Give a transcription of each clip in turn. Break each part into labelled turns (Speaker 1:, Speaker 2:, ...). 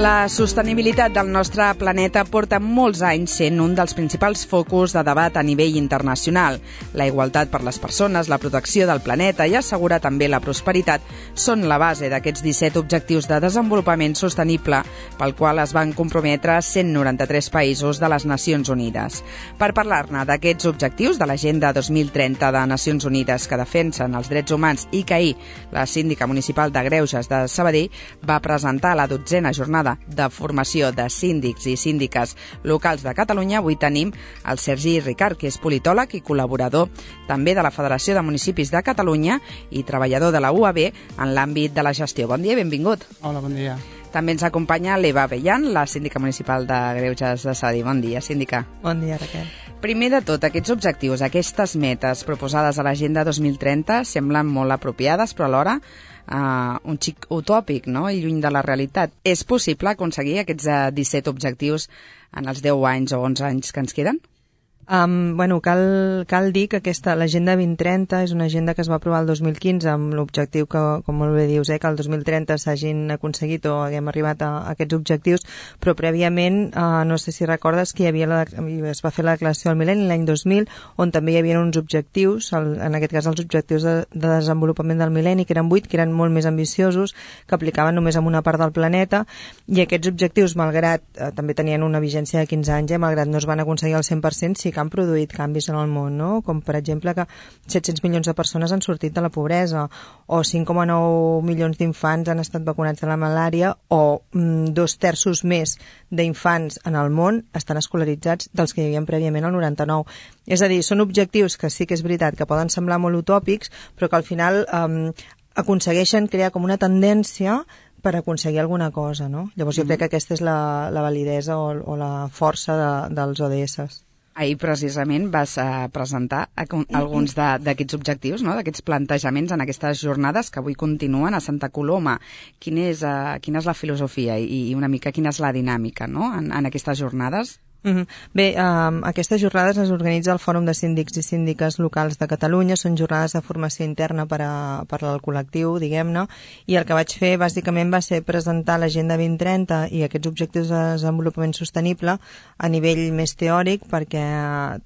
Speaker 1: La sostenibilitat del nostre planeta porta molts anys sent un dels principals focus de debat a nivell internacional. La igualtat per les persones, la protecció del planeta i assegurar també la prosperitat són la base d'aquests 17 objectius de desenvolupament sostenible pel qual es van comprometre 193 països de les Nacions Unides. Per parlar-ne d'aquests objectius de l'Agenda 2030 de Nacions Unides que defensen els drets humans i que ahir la síndica municipal de Greuges de Sabadell va presentar la 12a jornada de formació de síndics i síndiques locals de Catalunya, avui tenim el Sergi Ricart, que és politòleg i col·laborador també de la Federació de Municipis de Catalunya i treballador de la UAB en l'àmbit de la gestió. Bon dia i benvingut.
Speaker 2: Hola, bon dia.
Speaker 1: També ens acompanya l'Eva Bellan, la síndica municipal de Greuges de Sabadell. Bon dia, síndica.
Speaker 3: Bon dia, Raquel.
Speaker 1: Primer de tot, aquests objectius, aquestes metes proposades a l'Agenda 2030 semblen molt apropiades, però alhora un xic utòpic, no? I lluny de la realitat. És possible aconseguir aquests 17 objectius en els 10 anys o 11 anys que ens queden?
Speaker 3: Cal dir que l'Agenda 2030 és una agenda que es va aprovar el 2015 amb l'objectiu que, com molt bé dius, que el 2030 s'hagin aconseguit o haguem arribat a aquests objectius, però prèviament, no sé si recordes que es va fer la declaració del mil·lenni l'any 2000, on també hi havia uns objectius, en aquest cas els objectius de desenvolupament del mil·lenni, que eren 8, que eren molt més ambiciosos, que aplicaven només en una part del planeta, i aquests objectius, malgrat també tenien una vigència de 15 anys, malgrat no es van aconseguir al 100%, sí que han produït canvis en el món, no? Com per exemple que 700 milions de persones han sortit de la pobresa o 5,9 milions d'infants han estat vacunats de la malària o 2/3 més d'infants en el món estan escolaritzats dels que hi havia prèviament al 99. És a dir, són objectius que sí que és veritat que poden semblar molt utòpics, però que al final aconsegueixen crear com una tendència per aconseguir alguna cosa, no? Llavors jo crec que aquesta és la validesa o la força dels ODS.
Speaker 1: Ahir precisament vas presentar alguns d'aquests objectius, no? D'aquests plantejaments en aquestes jornades que avui continuen a Santa Coloma. Quina és la filosofia i una mica quina és la dinàmica, no? en aquestes jornades?
Speaker 3: Bé, aquestes jornades les organitza el Fòrum de Síndics i Síndiques Locals de Catalunya, són jornades de formació interna per al col·lectiu, diguem-ne, i el que vaig fer bàsicament va ser presentar l'Agenda 2030 i aquests objectius de desenvolupament sostenible a nivell més teòric perquè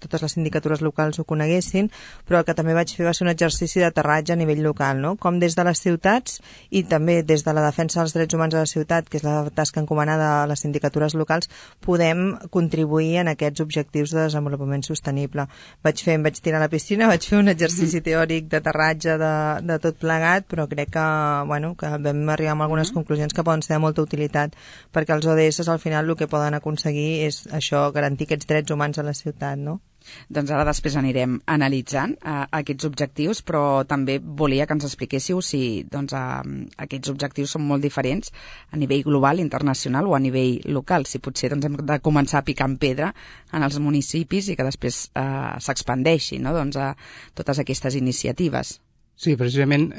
Speaker 3: totes les sindicatures locals ho coneguessin, però el que també vaig fer va ser un exercici d'aterratge a nivell local, no? Com des de les ciutats i també des de la defensa dels drets humans a la ciutat, que és la tasca encomanada a les sindicatures locals, podem contribuir en aquests objectius de desenvolupament sostenible. Em vaig tirar a la piscina, vaig fer un exercici teòric d'aterratge de tot plegat, però crec que vam arribar a algunes conclusions que poden ser de molta utilitat, perquè els ODS al final el que poden aconseguir és això, garantir aquests drets humans a la ciutat, no?
Speaker 1: Doncs ara després anirem analitzant aquests objectius, però també volia que ens expliquéssiu si aquests objectius són molt diferents a nivell global, internacional o a nivell local. Si potser hem de començar picant pedra en els municipis i que després s'expandeixi, no? A totes aquestes iniciatives.
Speaker 2: Sí, precisament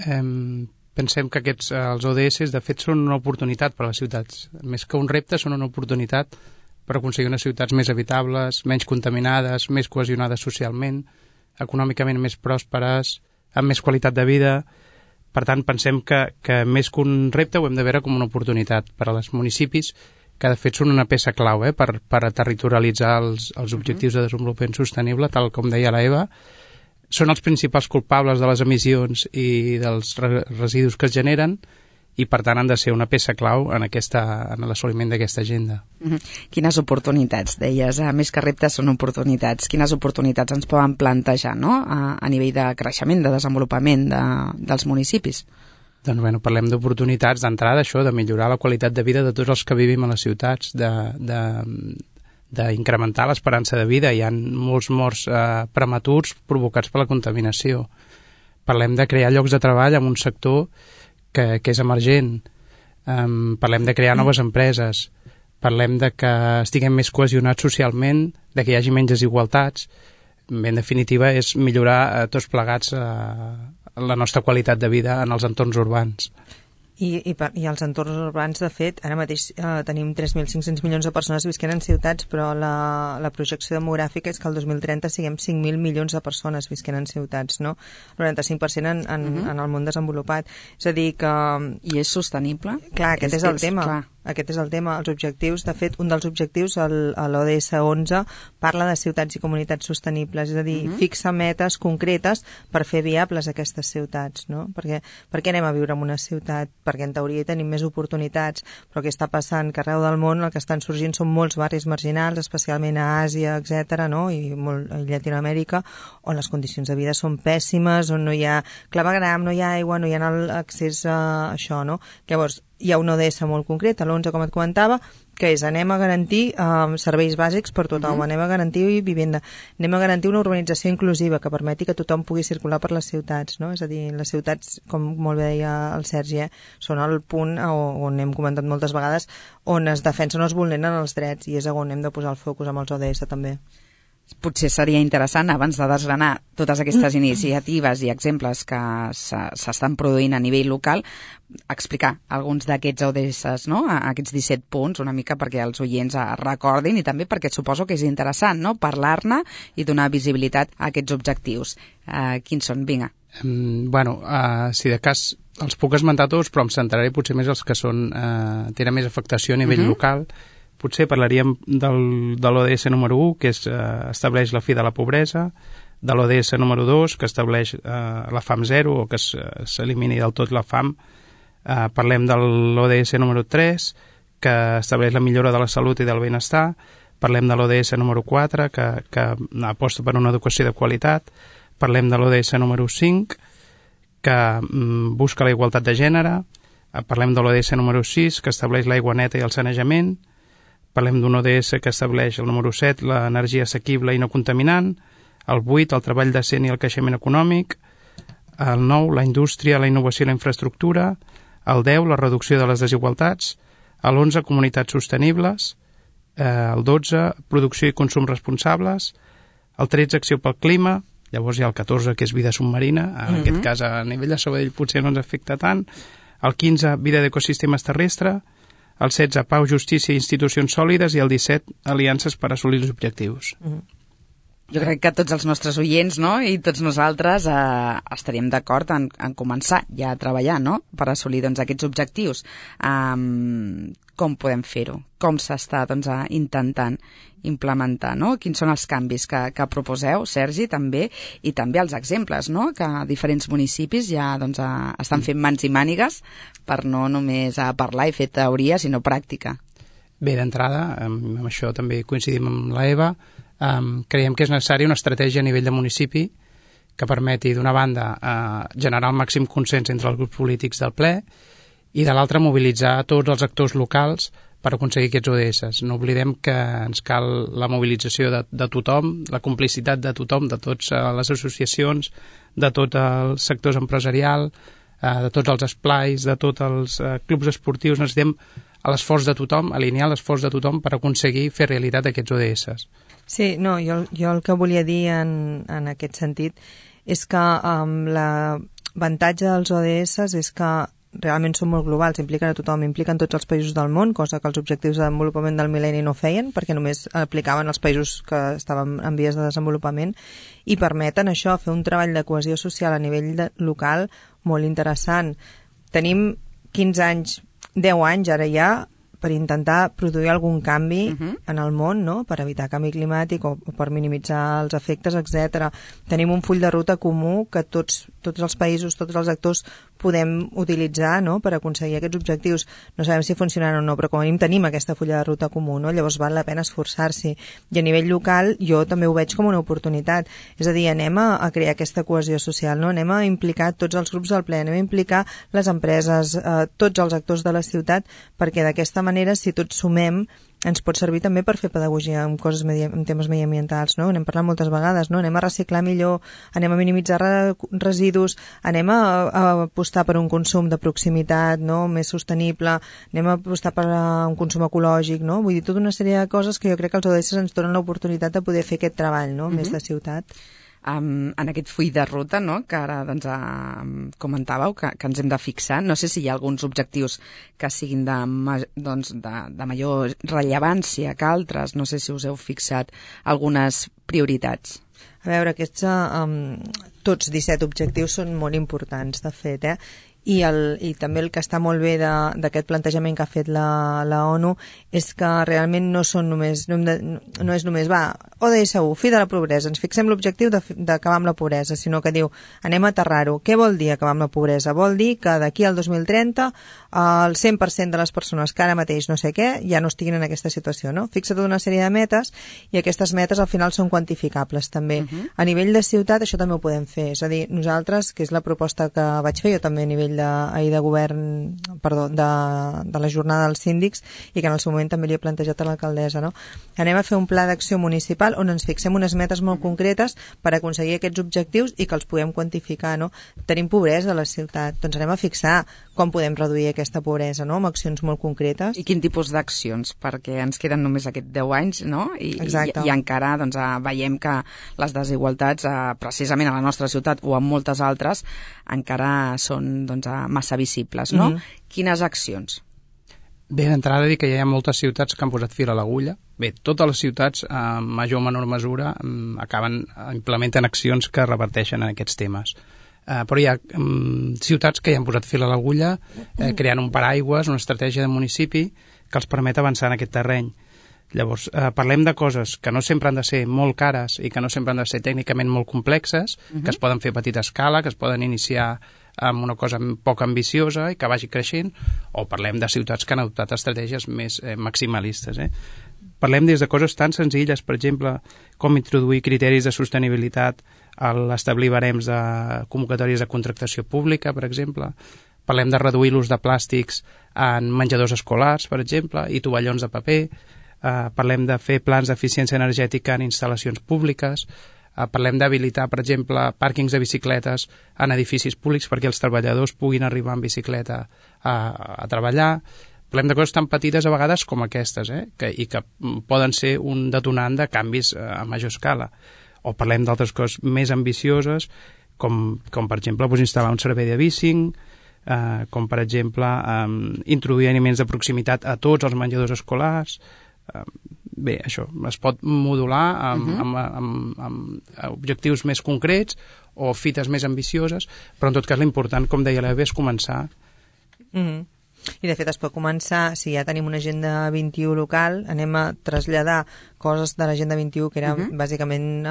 Speaker 2: pensem que els ODS de fet són una oportunitat per a les ciutats. Més que un repte, són una oportunitat per aconseguir unes ciutats més habitables, menys contaminades, més cohesionades socialment, econòmicament més pròsperes, amb més qualitat de vida. Per tant, pensem que més que un repte ho hem de veure com una oportunitat per als municipis, que de fet són una peça clau per territorialitzar els objectius de desenvolupament sostenible, tal com deia la Eva. Són els principals culpables de les emissions i dels residus que es generen, i per tant han de ser una peça clau en l'assoliment d'aquesta agenda.
Speaker 1: Quines oportunitats, deies, més que reptes són oportunitats. Quines oportunitats ens poden plantejar, no? A nivell de creixement, de desenvolupament dels municipis?
Speaker 2: Doncs parlem d'oportunitats d'entrada, això, de millorar la qualitat de vida de tots els que vivim a les ciutats, d'incrementar l'esperança de vida. Hi ha molts morts prematurs provocats per la contaminació. Parlem de crear llocs de treball en un sector que és emergent. Parlem de crear noves empreses, parlem de que estiguem més cohesionats socialment, de que hi hagi menys desigualtats. En definitiva, és millorar tots plegats la nostra qualitat de vida en els entorns urbans.
Speaker 3: I als entorns urbans, de fet, ara mateix tenim 3.500 milions de persones visquent en ciutats, però la projecció demogràfica és que el 2030 siguem 5.000 milions de persones visquent en ciutats, no? El 95% en el món desenvolupat. És a dir que...
Speaker 1: I és sostenible?
Speaker 3: Clar, aquest és el tema. aquest és el tema, els objectius. De fet, un dels objectius, l'ODS 11, parla de ciutats i comunitats sostenibles, és a dir, fixa metes concretes per fer viables aquestes ciutats, no? Perquè anem a viure en una ciutat? Perquè en teoria tenim més oportunitats, però què està passant? Que arreu del món el que estan sorgint són molts barris marginals, especialment a Àsia, etc., no? I molt a Llatinoamèrica, on les condicions de vida són pèssimes, on no hi ha clavegram, no hi ha aigua, no hi ha accés a això, no? Llavors, hi ha un ODS molt concret, l'11, com et comentava, que és anem a garantir serveis bàsics per tothom, anem a garantir vivenda, anem a garantir una urbanització inclusiva que permeti que tothom pugui circular per les ciutats, no? És a dir, les ciutats, com molt bé deia el Sergi, són el punt on hem comentat moltes vegades on es defensen o es vulneren els drets, i és on hem de posar el focus amb els ODS també.
Speaker 1: Potser seria interessant, abans de desgranar totes aquestes iniciatives i exemples que s'estan produint a nivell local, explicar alguns d'aquests ODS, no? Aquests 17 punts, una mica perquè els oients recordin, i també perquè suposo que és interessant, no?, parlar-ne i donar visibilitat a aquests objectius. Quins són? Vinga.
Speaker 2: Si de cas els puc esmentar tots, però em centraré potser més els que tenen més afectació a nivell local. Potser parlaríem de l'ODS número 1, que estableix la fi de la pobresa, de l'ODS número 2, que estableix la fam zero, o que s'elimini del tot la fam. Parlem de l'ODS número 3, que estableix la millora de la salut i del benestar. Parlem de l'ODS número 4, que aposta per una educació de qualitat. Parlem de l'ODS número 5, que busca la igualtat de gènere. Parlem de l'ODS número 6, que estableix l'aigua neta i el sanejament. Parlem d'un ODS que estableix el número 7, l'energia assequible i no contaminant, el 8, el treball decent i el creixement econòmic, el 9, la indústria, la innovació i la infraestructura, el 10, la reducció de les desigualtats, el 11, comunitats sostenibles, el 12, producció i consum responsables, el 13, acció pel clima, llavors hi ha el 14, que és vida submarina, en aquest cas a nivell de Sabadell potser no ens afecta tant, el 15, vida d'ecosistemes terrestres, el 16, pau, justícia i institucions sòlides, i el 17, aliances per assolir els objectius.
Speaker 1: Jo crec que tots els nostres oients, no?, i tots nosaltres estaríem d'acord en començar ja a treballar, no?, per assolir aquests objectius. Com podem fer-ho? Com s'està intentant implementar, no? Quins són els canvis que proposeu, Sergi, també, i també els exemples, no?, que diferents municipis ja estan fent mans i mànigues per no només parlar i fer teoria, sinó pràctica.
Speaker 2: Bé, d'entrada, amb això també coincidim amb l'Eva, creiem que és necessària una estratègia a nivell de municipi que permeti, d'una banda, generar el màxim consens entre els grups polítics del ple, i de l'altra mobilitzar tots els actors locals per aconseguir aquests ODS. No oblidem que ens cal la mobilització de tothom, la complicitat de tothom, de totes les associacions, de tots els sectors empresarials, de tots els esplais, de tots els clubs esportius. Necessitem l'esforç de tothom, alinear l'esforç de tothom per aconseguir fer realitat aquests ODS.
Speaker 3: Sí, no, jo el que volia dir en aquest sentit és que l'avantatge dels ODS és que realment són molt globals, impliquen a tothom, impliquen tots els països del món, cosa que els objectius de desenvolupament del mil·lenni no feien, perquè només aplicaven els països que estaven en vies de desenvolupament, i permeten això, fer un treball de cohesió social a nivell local molt interessant. Tenim 15 anys, 10 anys ara ja, per intentar produir algun canvi en el món, no?, per evitar canvi climàtic o per minimitzar els efectes, etc. Tenim un full de ruta comú que tots els països, tots els actors podem utilitzar, no?, per aconseguir aquests objectius. No sabem si funcionaran o no, però com a mínim tenim aquesta fulla de ruta comú, no? Llavors val la pena esforçar-s'hi. I a nivell local jo també ho veig com una oportunitat. És a dir, anem a crear aquesta cohesió social, no? Anem a implicar tots els grups del ple, anem a implicar les empreses, tots els actors de la ciutat, perquè d'aquesta manera, si tots sumem, ens pot servir també per fer pedagogia en coses en temes mediambientals, no? N'hem parlat moltes vegades, no? Anem a reciclar millor, anem a minimitzar residus, anem a apostar per un consum de proximitat, no?, més sostenible, anem a apostar per un consum ecològic, no? Vull dir, tota una sèrie de coses que jo crec que els ODS ens donen l'oportunitat de poder fer aquest treball, no?, més de ciutat.
Speaker 1: En aquest full de ruta, no?, que ara comentàveu que ens hem de fixar. No sé si hi ha alguns objectius que siguin de major rellevància que altres. No sé si us heu fixat algunes prioritats.
Speaker 3: A veure, aquests tots 17 objectius són molt importants, de fet, i també el que està molt bé d'aquest plantejament que ha fet la ONU és que realment no és només ODS 1, fi de la pobresa, ens fixem l'objectiu d'acabar amb la pobresa, sinó que diu, anem a aterrar-ho. Què vol dir acabar amb la pobresa? Vol dir que d'aquí al 2030 el 100% de les persones que ara mateix no sé què ja no estiguin en aquesta situació, no? Fixa tota una sèrie de metes i aquestes metes al final són quantificables també. A nivell de ciutat això també ho podem fer, és a dir, nosaltres, que és la proposta que vaig fer jo també a nivell de govern, perdó, de la jornada dels síndics i que en el seu moment també li he plantejat a l'alcaldessa, no? Anem a fer un pla d'acció municipal on ens fixem unes metes molt concretes per aconseguir aquests objectius i que els puguem quantificar, no? Tenim pobresa a la ciutat, doncs anem a fixar com podem reduir aquesta pobresa, no? Amb accions molt concretes.
Speaker 1: I quin tipus d'accions? Perquè ens queden només aquests 10 anys, no? I encara doncs, veiem que les desigualtats, precisament a la nostra ciutat o en moltes altres, encara són doncs, massa visibles, no? Quines accions?
Speaker 2: Bé, d'entrada dir que ja hi ha moltes ciutats que han posat fil a l'agulla. Bé, totes les ciutats, en major o menor mesura, implementen accions que reverteixen en aquests temes. Però hi ha ciutats que ja han posat fil a l'agulla, creant un paraigües, una estratègia de municipi que els permet avançar en aquest terreny. Llavors, parlem de coses que no sempre han de ser molt cares i que no sempre han de ser tècnicament molt complexes, que es poden fer a petita escala, que es poden iniciar amb una cosa poc ambiciosa i que vagi creixent, o parlem de ciutats que han adoptat estratègies més maximalistes. Parlem des de coses tan senzilles, per exemple, com introduir criteris de sostenibilitat a l'establir barems de convocatòries de contractació pública, per exemple. Parlem de reduir l'ús de plàstics en menjadors escolars, per exemple, i tovallons de paper. Parlem de fer plans d'eficiència energètica en instal·lacions públiques. Parlem d'habilitar, per exemple, pàrquings de bicicletes en edificis públics perquè els treballadors puguin arribar en bicicleta a treballar. Parlem de coses tan petites a vegades com aquestes, i que poden ser un detonant de canvis a major escala. O parlem d'altres coses més ambicioses, com per exemple, instal·lar un servei de bicing, com per exemple introduir aliments de proximitat a tots els menjadors escolars. Bé, això es pot modular amb objectius més concrets o fites més ambicioses, però en tot cas l'important, com deia l'Eva, és començar.
Speaker 3: I de fet es pot començar, si ja tenim una agenda 21 local, anem a traslladar coses de l'agenda 21 que era bàsicament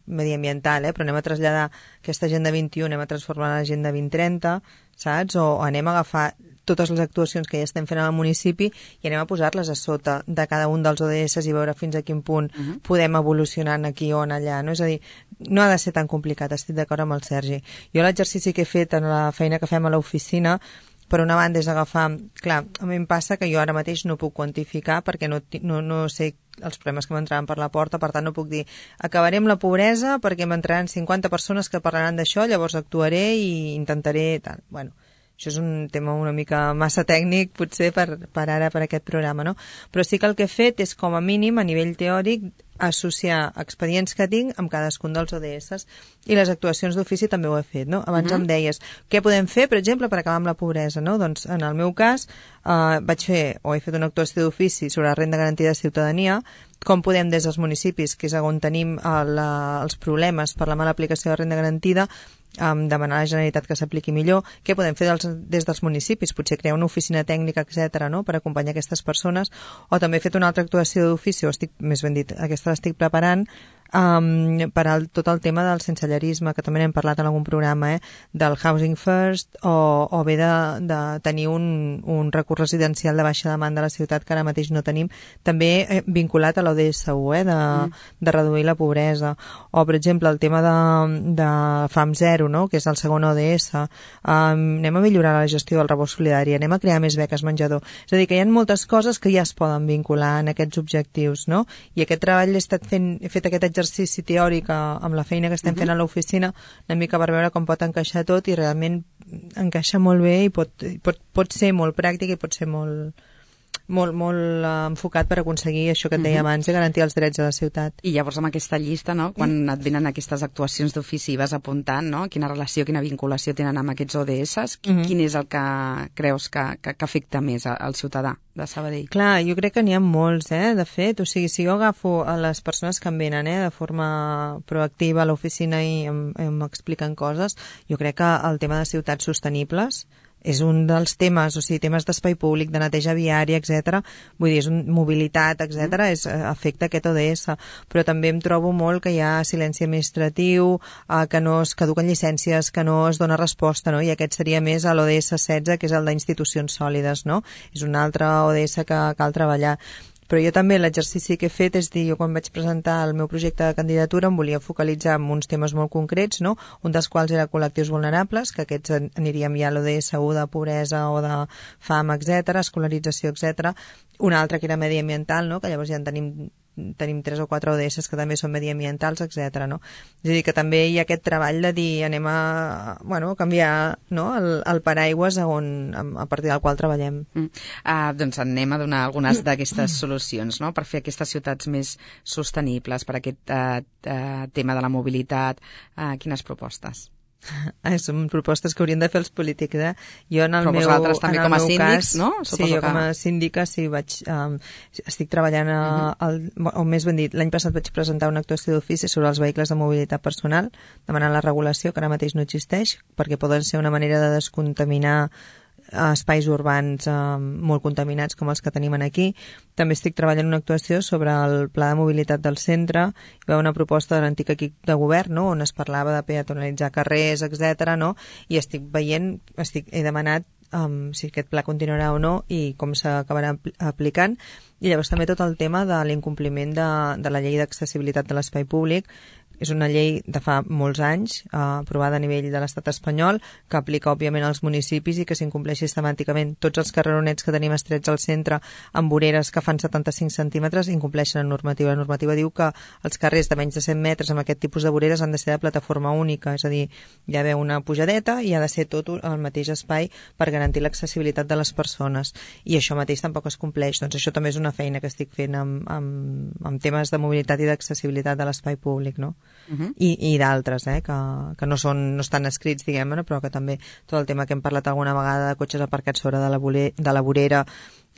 Speaker 3: mediambiental, però anem a traslladar aquesta agenda 21, anem a transformar l'agenda 2030, saps? O anem a agafar totes les actuacions que ja estem fent al municipi i anem a posar-les a sota de cada un dels ODS i veure fins a quin punt podem evolucionar aquí o allà, no? És a dir, no ha de ser tan complicat, estic d'acord amb el Sergi. Jo l'exercici que he fet en la feina que fem a l'oficina, per una banda és agafar... Clar, a mi em passa que jo ara mateix no puc quantificar perquè no sé els problemes que m'entraran per la porta, per tant no puc dir acabarem la pobresa perquè m'entraran 50 persones que parlaran d'això, llavors actuaré i intentaré... Tal. Bueno, això és un tema una mica massa tècnic potser per ara, per aquest programa, no? Però sí que el que he fet és com a mínim a nivell teòric associar expedients que tinc amb cadascun dels ODS i les actuacions d'ofici també ho he fet, no? Abans em deies, què podem fer, per exemple, per acabar amb la pobresa, no? Doncs en el meu cas he fet una actuació d'ofici sobre la renda garantida de ciutadania, com podem des dels municipis, que és on tenim els problemes per la mala aplicació de la renda garantida, demanar a la Generalitat que s'apliqui millor, què podem fer des dels municipis, potser crear una oficina tècnica, etc., no? Per acompanyar aquestes persones, o també he fet una altra actuació d'ofici, més ben dit, aquesta l'estic preparant, per tot el tema del sensellarisme, que també n'hem parlat en algun programa, del Housing First, o bé de tenir un recurs residencial de baixa demanda a la ciutat que ara mateix no tenim, també vinculat a l'ODS 1, de reduir la pobresa, o per exemple el tema de Fam Zero, no? Que és el segon ODS, anem a millorar la gestió del rebost solidari, anem a crear més beques menjador, és a dir, que hi ha moltes coses que ja es poden vincular en aquests objectius, no? I aquest treball he fet aquest exercici teòric amb la feina que estem fent a l'oficina, una mica per veure com pot encaixar tot, i realment encaixa molt bé i pot ser molt pràctic i pot ser molt molt enfocat per aconseguir això que et deia abans, de garantir els drets de la ciutat.
Speaker 1: I llavors amb aquesta llista, no, quan et venen aquestes actuacions d'ofici i vas apuntant, no, quina relació, quina vinculació tenen amb aquests ODS, quin és el que creus que afecta més al ciutadà de Sabadell?
Speaker 3: Clar, jo crec que n'hi ha molts, de fet, o sigui, si jo agafo a les persones que em venen de forma proactiva a l'oficina i m'expliquen coses, jo crec que el tema de ciutats sostenibles és un dels temes, o sigui, temes d'espai públic, de neteja viària, etc. Vull dir, és mobilitat, etc. Afecta aquest ODS, però també em trobo molt que hi ha silenci administratiu, que no es caduquen llicències, que no es dona resposta, no? I aquest seria més a l'ODS 16, que és el d'institucions sòlides, no? És un altre ODS que cal treballar. Però jo també l'exercici que he fet és dir, jo quan vaig presentar el meu projecte de candidatura em volia focalitzar en uns temes molt concrets, no? Un dels quals era col·lectius vulnerables, que aquests aniríem ja a l'ODS 1 de pobresa o de fam, etc., escolarització, etc. Un altre que era mediambiental, no? Que llavors ja en tenim 3 o 4 ODS que també són mediambientals, etc. No? És a dir, que també hi ha aquest treball de dir anem a canviar, no? el paraigües a partir del qual treballem.
Speaker 1: Doncs anem a donar algunes d'aquestes solucions, no? Per fer aquestes ciutats més sostenibles, per aquest tema de la mobilitat. Quines propostes?
Speaker 3: Són propostes que haurien de fer els polítics, Jo
Speaker 1: Però vosaltres també com a síndics, no?
Speaker 3: Sí, jo com a síndica estic treballant o més ben dit, l'any passat vaig presentar una actuació d'ofici sobre els vehicles de mobilitat personal, demanant la regulació, que ara mateix no existeix, perquè poden ser una manera de descontaminar espais urbans molt contaminats com els que tenim aquí. També estic treballant una actuació sobre el pla de mobilitat del centre. Hi va una proposta de l'antic equip de govern, no? On es parlava de peatonalitzar carrers, etc. No? I he demanat si aquest pla continuarà o no i com s'acabarà aplicant. I llavors també tot el tema de l'incompliment de la llei d'accessibilitat de l'espai públic. És una llei de fa molts anys, aprovada a nivell de l'estat espanyol, que aplica, òbviament, als municipis i que s'incompleix sistemàticament. Tots els carreronets que tenim estrets al centre amb voreres que fan 75 centímetres incompleixen la normativa. La normativa diu que els carrers de menys de 100 metres amb aquest tipus de voreres han de ser de plataforma única, és a dir, hi ha d'haver una pujadeta i ha de ser tot el mateix espai per garantir l'accessibilitat de les persones. I això mateix tampoc es compleix. Doncs això també és una feina que estic fent amb temes de mobilitat i d'accessibilitat de l'espai públic, no? I d'altres, que no estan escrits, diguem-ne, però que també tot el tema que hem parlat alguna vegada de cotxes aparcats sobre de la vorera,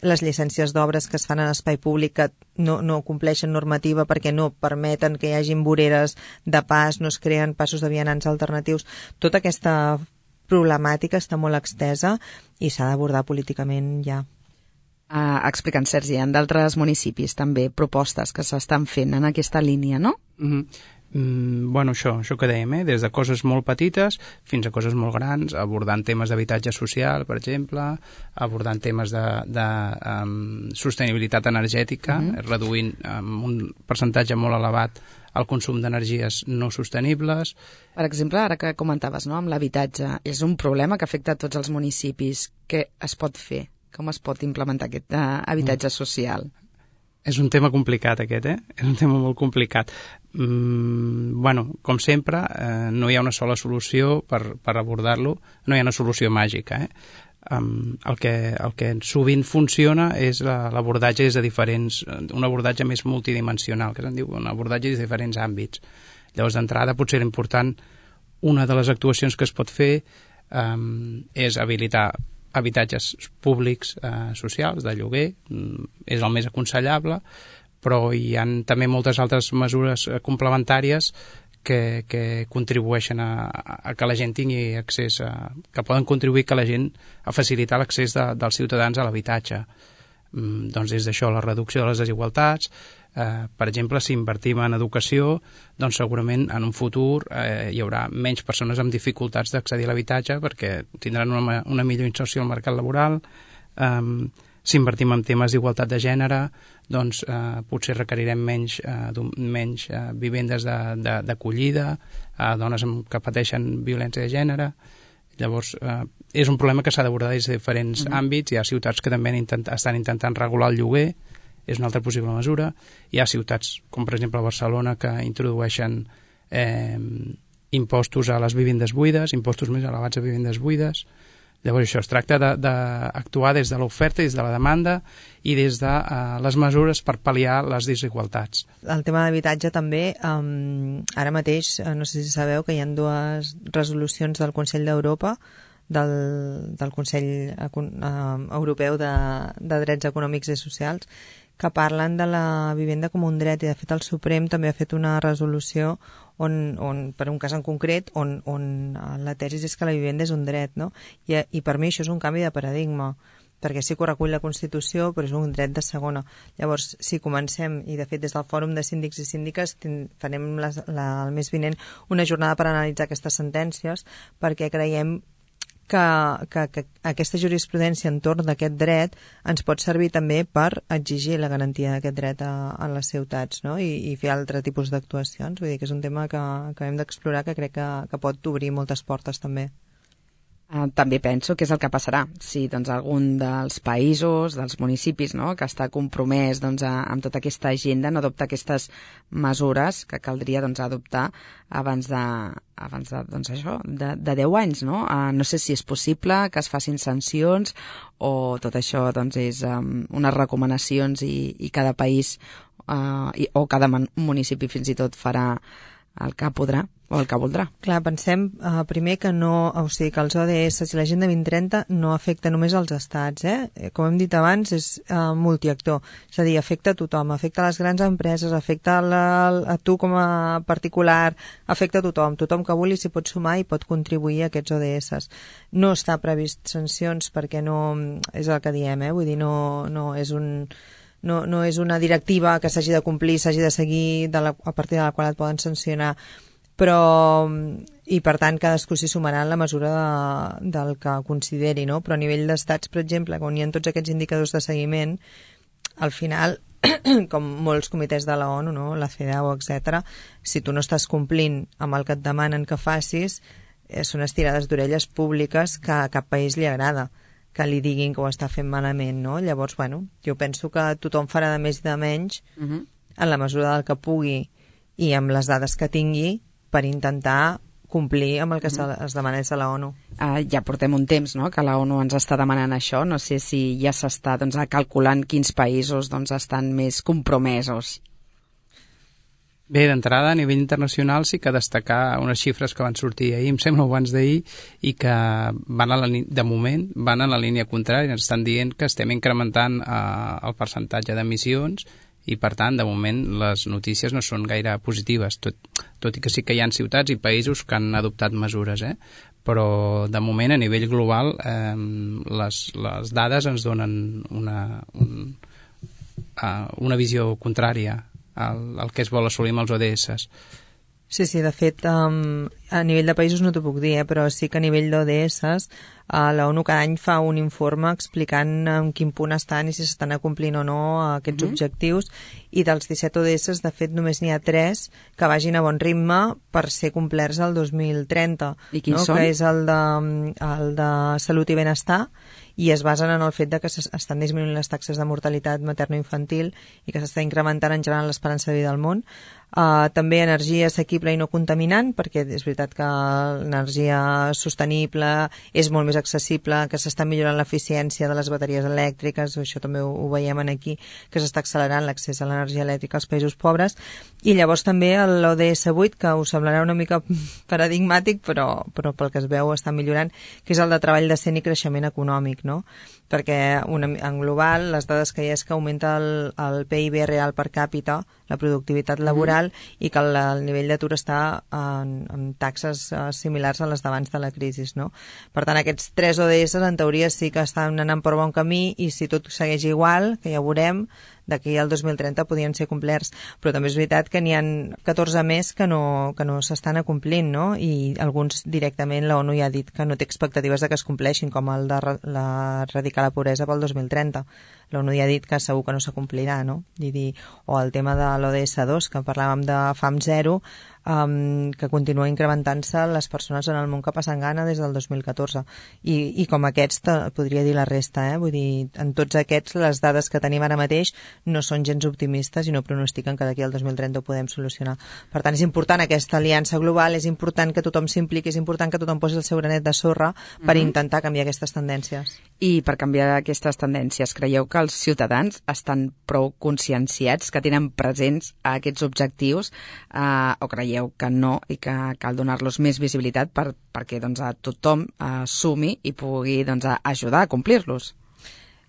Speaker 3: les llicències d'obres que es fan en espai públic que no compleixen normativa perquè no permeten que hi hagin voreres de pas, no es creen passos de vianants alternatius. Tota aquesta problemàtica està molt extesa i s'ha d'abordar políticament ja.
Speaker 1: Explicant, Sergi, en d'altres municipis també propostes que s'estan fent en aquesta línia, no?
Speaker 2: Bueno, això que dèiem, des de coses molt petites fins a coses molt grans, abordant temes d'habitatge social, per exemple, abordant temes de sostenibilitat energètica, reduint amb un percentatge molt elevat el consum d'energies no sostenibles.
Speaker 1: Per exemple, ara que comentaves, no, amb l'habitatge, és un problema que afecta a tots els municipis. Què es pot fer? Com es pot implementar aquest habitatge social?
Speaker 2: És un tema complicat aquest, És un tema molt complicat. Bueno, com sempre, no hi ha una sola solució per abordar-lo, no hi ha una solució màgica, El que sovint funciona és l'abordatge des de diferents, un abordatge més multidimensional, que se'n diu, un abordatge des de diferents àmbits. Llavors, d'entrada, potser era important, una de les actuacions que es pot fer és habilitar habitatges públics socials, de lloguer, és el més aconsellable, però hi ha també moltes altres mesures complementàries que contribueixen a que la gent tingui accés, que poden contribuir a facilitar l'accés dels ciutadans a l'habitatge. Doncs des d'això, la reducció de les desigualtats, per exemple, si invertim en educació, doncs segurament en un futur hi haurà menys persones amb dificultats d'accedir a l'habitatge perquè tindran una millor inserció al mercat laboral. Si invertim en temes d'igualtat de gènere, doncs potser requerirem menys vivendes d'acollida a dones que pateixen violència de gènere. Llavors, és un problema que s'ha d'abordar des de diferents àmbits. Hi ha ciutats que també estan intentant regular el lloguer, és una altra possible mesura. Hi ha ciutats, com per exemple Barcelona, que introdueixen impostos a les vivendes buides, impostos més elevats a vivendes buides. Llavors això, es tracta d'actuar des de l'oferta, des de la demanda i des de les mesures per pal·liar les desigualtats.
Speaker 3: El tema d'habitatge també, ara mateix, no sé si sabeu que hi ha 2 resolucions del Consell d'Europa, del Consell Europeu de Drets Econòmics i Socials, que parlen de la vivenda com un dret, i de fet el Suprem també ha fet una resolució per un cas en concret on la tesi és que la vivenda és un dret, no? I per mi això és un canvi de paradigma, perquè sí que ho recull la Constitució, però és un dret de segona. Llavors, si comencem, i de fet des del Fòrum de Síndics i Síndiques farem el mes vinent una jornada per analitzar aquestes sentències, perquè creiem que aquesta jurisprudència entorn d'aquest dret ens pot servir també per exigir la garantia d'aquest dret a les ciutats, no? I fer altre tipus d'actuacions. Vull dir que és un tema que hem d'explorar, que crec que pot obrir moltes portes també.
Speaker 1: També penso que és el que passarà si algun dels països, dels municipis, no?, que està compromès amb tota aquesta agenda, no adopta aquestes mesures que caldria adoptar abans de 10 anys, no? No sé si és possible que es facin sancions o tot això és unes recomanacions i cada país o cada municipi fins i tot farà el que podrà o el que voldrà.
Speaker 3: Clar, pensem primer que que els ODS i l'Agenda 2030 no afecta només als estats, Com hem dit abans, és multiactor, és a dir, afecta a tothom, afecta a les grans empreses, afecta a tu com a particular, afecta a tothom que vulgui s'hi pot sumar i pot contribuir a aquests ODS. No està previst sancions perquè no, és el que diem, vull dir, no és una directiva que s'hagi de complir, s'hagi de seguir, a partir de la qual et poden sancionar, i per tant cadascú s'hi sumarà en la mesura del que consideri, no? Però a nivell d'estats, per exemple, on hi ha tots aquests indicadors de seguiment, al final, com molts comitès de la ONU, no? La CEDAW, etc., si tu no estàs complint amb el que et demanen que facis, són estirades d'orelles públiques que a cap país li agrada que li diguin que ho està fent malament, no? Llavors, jo penso que tothom farà de més i de menys en la mesura del que pugui i amb les dades que tingui per intentar complir amb el que es demana des de la ONU.
Speaker 1: Ja portem un temps, no?, que la ONU ens està demanant això. No sé si ja s'està calculant quins països estan més compromesos.
Speaker 2: Bé, d'entrada, a nivell internacional sí que destacar unes xifres que van sortir ahir, em sembla abans d'ahir, i que de moment van en la línia contrària. Ens estan dient que estem incrementant el percentatge d'emissions i, per tant, de moment les notícies no són gaire positives, tot i que sí que hi ha ciutats i països que han adoptat mesures, però de moment a nivell global les dades ens donen una visió contrària al que es vol assolir amb els ODS.
Speaker 3: Sí, de fet, a nivell de països no t'ho puc dir, però sí que a nivell d'ODS la ONU cada any fa un informe explicant en quin punt estan i si s'estan acomplint o no aquests objectius, i dels 17 ODS, de fet, només n'hi ha 3 que vagin a bon ritme per ser complerts el 2030.
Speaker 1: I quins són?
Speaker 3: Que és el de salut i benestar, i es basen en el fet de que estan disminuint les taxes de mortalitat materno-infantil i que s'està incrementant en general l'esperança de vida al món. També energia assequible i no contaminant, perquè és veritat que l'energia sostenible és molt més accessible, que s'està millorant l'eficiència de les bateries elèctriques, això també ho veiem aquí, que s'està accelerant l'accés a l'energia elèctrica als països pobres. I llavors també l'ODS 8, que us semblarà una mica paradigmàtic, però pel que es veu està millorant, que és el de treball decent i creixement econòmic, no? Perquè en global les dades que hi ha és que augmenta el PIB real per càpita, la productivitat laboral, i que el nivell d'atur està en taxes similars a les d'abans de la crisi, no? Per tant, aquests 3 ODS en teoria sí que estan anant per bon camí, i si tot segueix igual, que ja ho veurem, d'aquí al 2030 podien ser complerts, però també és veritat que n'hi ha 14 més que no s'estan acomplint, no? I alguns directament la ONU ja ha dit que no té expectatives de que es compleixin, com el de erradicar la pobresa pel 2030. l'ONU ja ha dit que segur que no s'acomplirà, no? O el tema de l'ODS 2, que parlàvem de fam zero, que continua incrementant-se les persones en el món que passen gana des del 2014. I com aquests, podria dir la resta, vull dir, en tots aquests, les dades que tenim ara mateix no són gens optimistes i no pronostiquen que d'aquí al 2030 ho podem solucionar. Per tant, és important aquesta aliança global, és important que tothom s'impliqui, és important que tothom posi el seu granet de sorra per intentar canviar aquestes tendències.
Speaker 1: I per canviar aquestes tendències, creieu que els ciutadans estan prou conscienciats, que tenen presents aquests objectius, o creieu que no i que cal donar-los més visibilitat perquè doncs, tothom sumi i pugui doncs, ajudar a complir-los?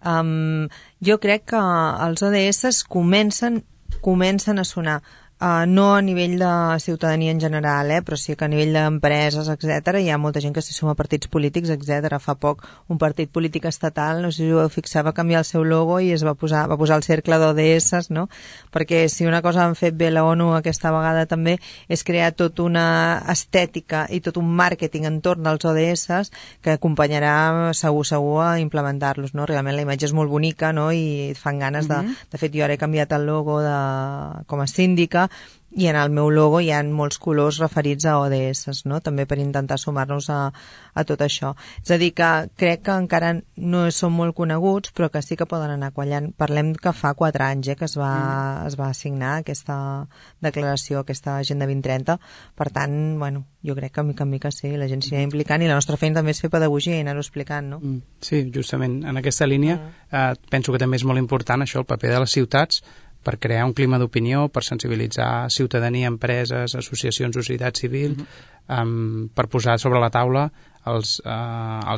Speaker 3: Jo crec que els ODS comencen a sonar. No a nivell de ciutadania en general, però sí que a nivell d'empreses, etc. Hi ha molta gent que s'hi suma a partits polítics, etc. Fa poc un partit polític estatal, no sé si ho fixava, canviar el seu logo i es va posar el cercle d'ODS, no? Perquè si una cosa han fet bé la ONU aquesta vegada també és crear tota una estètica i tot un màrqueting entorn dels ODS que acompanyarà segur a implementar-los, no? Realment la imatge és molt bonica, no? I et fan ganes de fet, jo ara he canviat el logo com a síndica i en el meu logo hi ha molts colors referits a ODS, no? També per intentar sumar-nos a tot això. És a dir, que crec que encara no són molt coneguts, però que sí que poden anar quallant. Parlem que fa 4 anys que es va signar aquesta declaració, aquesta Agenda 2030. Per tant, bueno, jo crec que mica en mica sí, la gent s'hi va implicant i la nostra feina també és fer pedagogia i anar-ho explicant, no?
Speaker 2: Sí, justament en aquesta línia penso que també és molt important això, el paper de les ciutats, per crear un clima d'opinió, per sensibilitzar ciutadania, empreses, associacions, societat civil, per posar sobre la taula els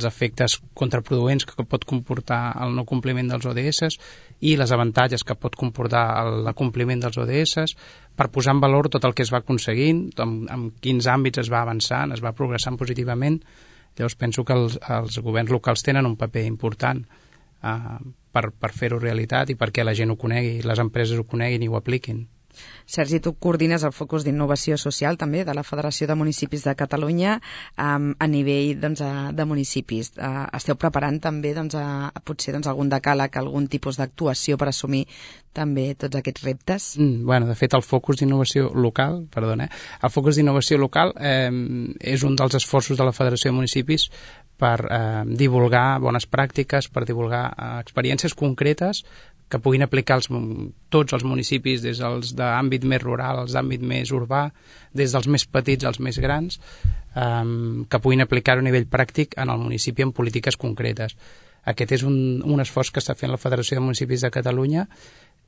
Speaker 2: efectes contraproduents que pot comportar el no compliment dels ODS i les avantatges que pot comportar l'acompliment dels ODS, per posar en valor tot el que es va aconseguint, en quins àmbits es va avançant, es va progressant positivament. Llavors penso que els governs locals tenen un paper important per fer-ho realitat i perquè la gent ho conegui, les empreses ho coneguin i ho apliquin.
Speaker 1: Sergi, tu coordines el focus d'innovació social també de la Federació de Municipis de Catalunya a nivell de municipis. Esteu preparant també potser algun decàleg, algun tipus d'actuació per assumir també tots aquests reptes?
Speaker 2: De fet, el focus d'innovació local, el focus d'innovació local és un dels esforços de la Federació de Municipis per divulgar bones pràctiques, per divulgar experiències concretes que puguin aplicar tots els municipis, des dels d'àmbit més rural als d'àmbit més urbà, des dels més petits als més grans, que puguin aplicar-ho a nivell pràctic en el municipi en polítiques concretes. Aquest és un esforç que està fent la Federació de Municipis de Catalunya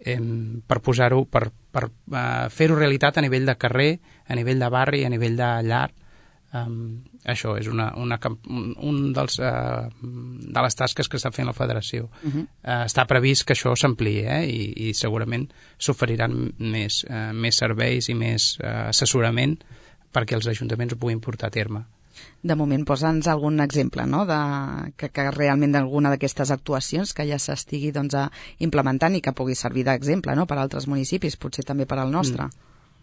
Speaker 2: per posar-ho, per fer-ho realitat a nivell de carrer, a nivell de barri, a nivell de llar. Això és una de les tasques que està fent la Federació. Està previst que això s'ampliï i segurament s'oferiran més serveis i més assessorament perquè els ajuntaments ho puguin portar a terme.
Speaker 1: De moment, posa'ns algun exemple, no?, que realment d'alguna d'aquestes actuacions que ja s'estigui implementant i que pugui servir d'exemple, no?, per a altres municipis, potser també per al nostre.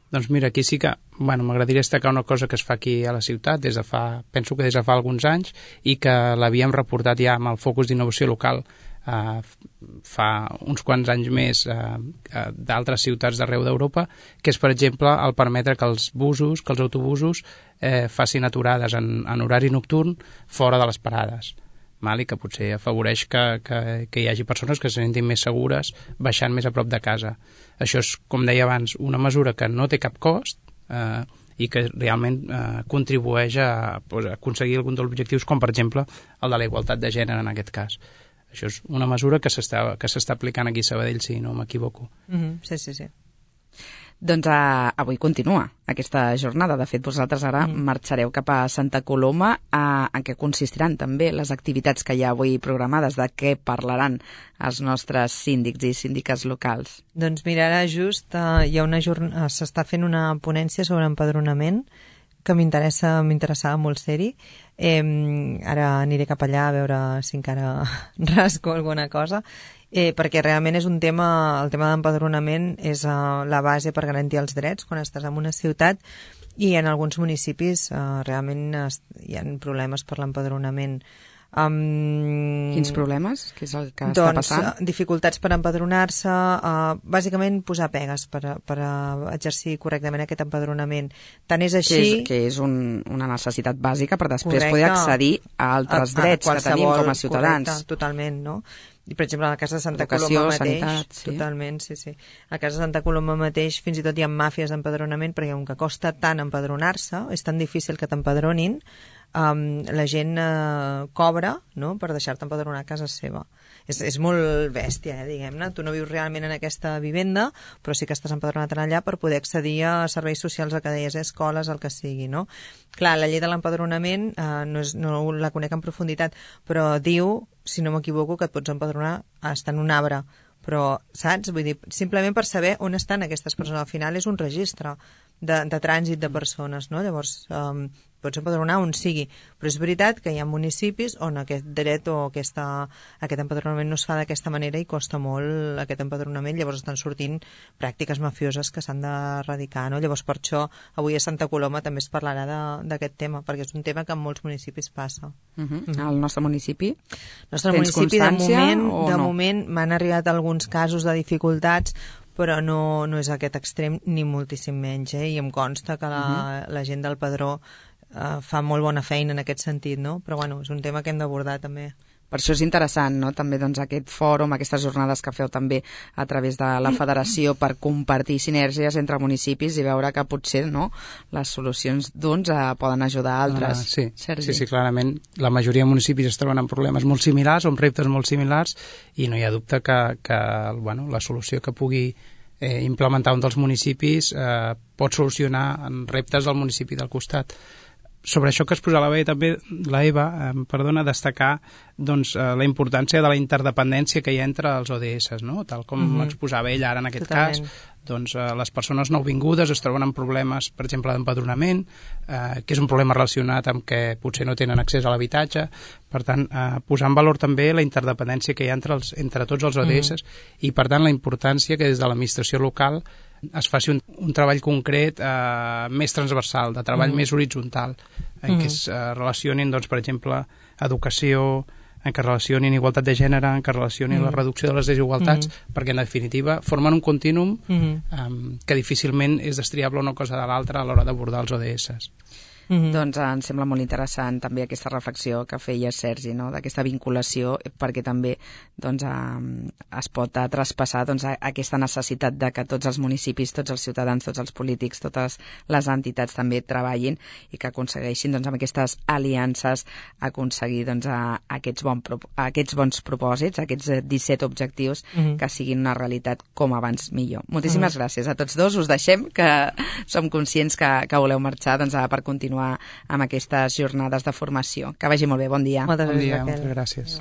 Speaker 2: Doncs mira, aquí sí que m'agradaria destacar una cosa que es fa aquí a la ciutat penso que des de fa alguns anys i que l'havíem reportat ja amb el focus d'innovació local fa uns quants anys més d'altres ciutats d'arreu d'Europa, que és, per exemple, el permetre que els autobusos facin aturades en horari nocturn fora de les parades, i que potser afavoreix que hi hagi persones que se sentin més segures baixant més a prop de casa. Això és, com deia abans, una mesura que no té cap cost i que realment contribueix a aconseguir algun dels objectius, com per exemple el de la igualtat de gènere en aquest cas. Això és una mesura que s'està aplicant aquí a Sabadell, si no m'equivoco.
Speaker 3: Sí.
Speaker 1: Doncs avui continua aquesta jornada. De fet, vosaltres ara marxareu cap a Santa Coloma. En què consistiran també les activitats que hi ha avui programades? De què parlaran els nostres síndics i síndiques locals?
Speaker 3: Doncs mira, ara just s'està fent una ponència sobre empadronament que m'interessava molt ser-hi. Ara aniré cap allà a veure si encara rasco alguna cosa, perquè realment és un tema, el tema d'empadronament és la base per garantir els drets quan estàs en una ciutat, i en alguns municipis realment hi ha problemes per l'empadronament
Speaker 1: Quins problemes? Què és el que està passant?
Speaker 3: Dificultats per empadronar-se, bàsicament posar pegues per exercir correctament aquest empadronament. Tant és així...
Speaker 1: Que és una necessitat bàsica per després poder accedir a altres drets que tenim com a ciutadans.
Speaker 3: Correcte, totalment, no? I, per exemple, a la Casa de Santa
Speaker 1: Educació,
Speaker 3: Coloma mateix...
Speaker 1: sanitat, sí.
Speaker 3: Totalment, sí. A Casa de Santa Coloma mateix fins i tot hi ha màfies d'empadronament perquè com que costa tant empadronar-se, és tan difícil que t'empadronin, la gent cobra, no?, per deixar-te empadronar a casa seva. És molt bèstia, diguem-ne. Tu no vius realment en aquesta vivenda, però sí que estàs empadronat allà per poder accedir a serveis socials, el que deies, escoles, el que sigui, no? Clar, la llei de l'empadronament no la conec en profunditat, però diu, si no m'equivoco, que et pots empadronar estar en un arbre. Però, saps? Vull dir, simplement per saber on estan aquestes persones. Al final és un registre de trànsit de persones, no? Llavors, pots empadronar on sigui. Però és veritat que hi ha municipis on aquest dret o aquest empadronament no es fa d'aquesta manera i costa molt aquest empadronament. Llavors estan sortint pràctiques mafioses que s'han d'erradicar, no? Llavors, per això, avui a Santa Coloma també es parlarà d'aquest tema, perquè és un tema que en molts municipis passa.
Speaker 1: Al nostre municipi?
Speaker 3: El nostre municipi, de moment m'han arribat alguns casos de dificultats, però no és aquest extrem ni moltíssim menys, i em consta que la gent del Padró fa molt bona feina en aquest sentit, no? Però bueno, és un tema que hem d'abordar també.
Speaker 1: Per això és interessant, no?, també doncs, aquest fòrum, aquestes jornades que feu també a través de la federació per compartir sinergies entre municipis i veure que potser, no?, les solucions d'uns poden ajudar a altres.
Speaker 2: Sí, clarament. La majoria de municipis es troben amb problemes molt similars, amb reptes molt similars, i no hi ha dubte que la solució que pugui implementar un dels municipis pot solucionar reptes del municipi del costat. Sobre això que es posava bé també la Eva, destacar doncs, la importància de la interdependència que hi ha entre els ODS, no? Tal com exposava ell ara en aquest cas, doncs les persones nouvingudes es troben amb problemes, per exemple, d'empadronament, que és un problema relacionat amb que potser no tenen accés a l'habitatge. Per tant, posar en valor també la interdependència que hi ha entre tots els ODS i, per tant, la importància que des de l'administració local es faci un treball concret més transversal, de treball més horitzontal, en què es relacionin, doncs, per exemple, educació, en què relacionin igualtat de gènere, en què relacionin la reducció de les desigualtats, perquè en definitiva formen un contínum que difícilment és destriable una cosa de l'altra a l'hora d'abordar els ODS.
Speaker 1: Doncs em sembla molt interessant també aquesta reflexió que feia Sergi, no?, d'aquesta vinculació, perquè també doncs, es pot traspassar doncs, aquesta necessitat de que tots els municipis, tots els ciutadans, tots els polítics, totes les entitats també treballin i que aconsegueixin doncs, amb aquestes aliances aconseguir doncs, aquests bons propòsits, aquests 17 objectius que siguin una realitat com abans millor. Moltíssimes gràcies a tots dos. Us deixem, que som conscients que voleu marxar doncs, per continuar amb aquestes jornades de formació. Que vagi molt bé, bon dia.
Speaker 3: Moltes gràcies,
Speaker 2: Moltes gràcies.